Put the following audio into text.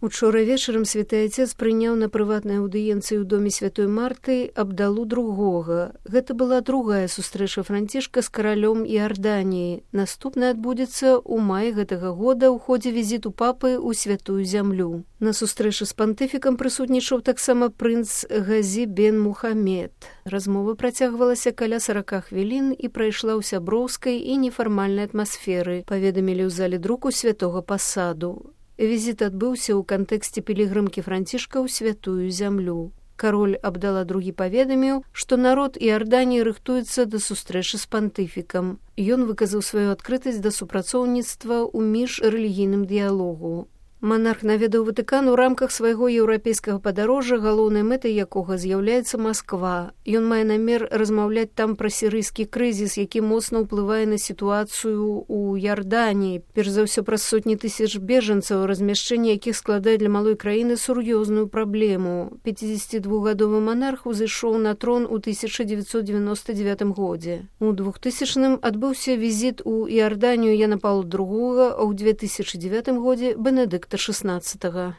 Учора вечарам святы Отец прыняў на прыватнай аўдыенцыі ў доме святой Марты Абдалу II. Гэта была другая сустрэча Францішка з каралём Іарданіі. Наступная адбудзецца ў маі гэтага года ў ходзе візіту папы ў святую зямлю. На сустрэчы з пантыфікам прысутнічаў таксама прынц Газі бен Мухамед. Размова працягвалася каля 40 хвілін і прайшла ў сяброўскай і нефармальнай атмасферы, паведамілі ў зале друку святога пасаду. Візіт адбыўся ў кантэксце пілігрымкі Францішка ў святую зямлю. Кароль Абдала II паведаміў, што народ Іарданіі рыхтуецца да сустрэчы з пантыфікам. Ён выказаў сваю адкрытасць да супрацоўніцтва ў міжрэлігійным дыялогу. Манарх наведаў Ватыкан у рамках свайго еўрапейскага падарожжа, галоўнай мэтай якога з'яўляецца Масква. Ён мае намер размаўляць там пра сірыйскі крызіс, які моцна ўплывае на сітуацыю ў Іарданіі, перш за ўсё праз сотні тысяч бежанцаў, размяшчэнне якіх складае для малой краіны сур'ёзную праблему. 52-гадовы манарх узышоў на трон у 1999 годзе. У 2000-м адбыўся візіт у Іарданію Яна Паўла II, а ў 2009 годзе Бенедыкта XVI.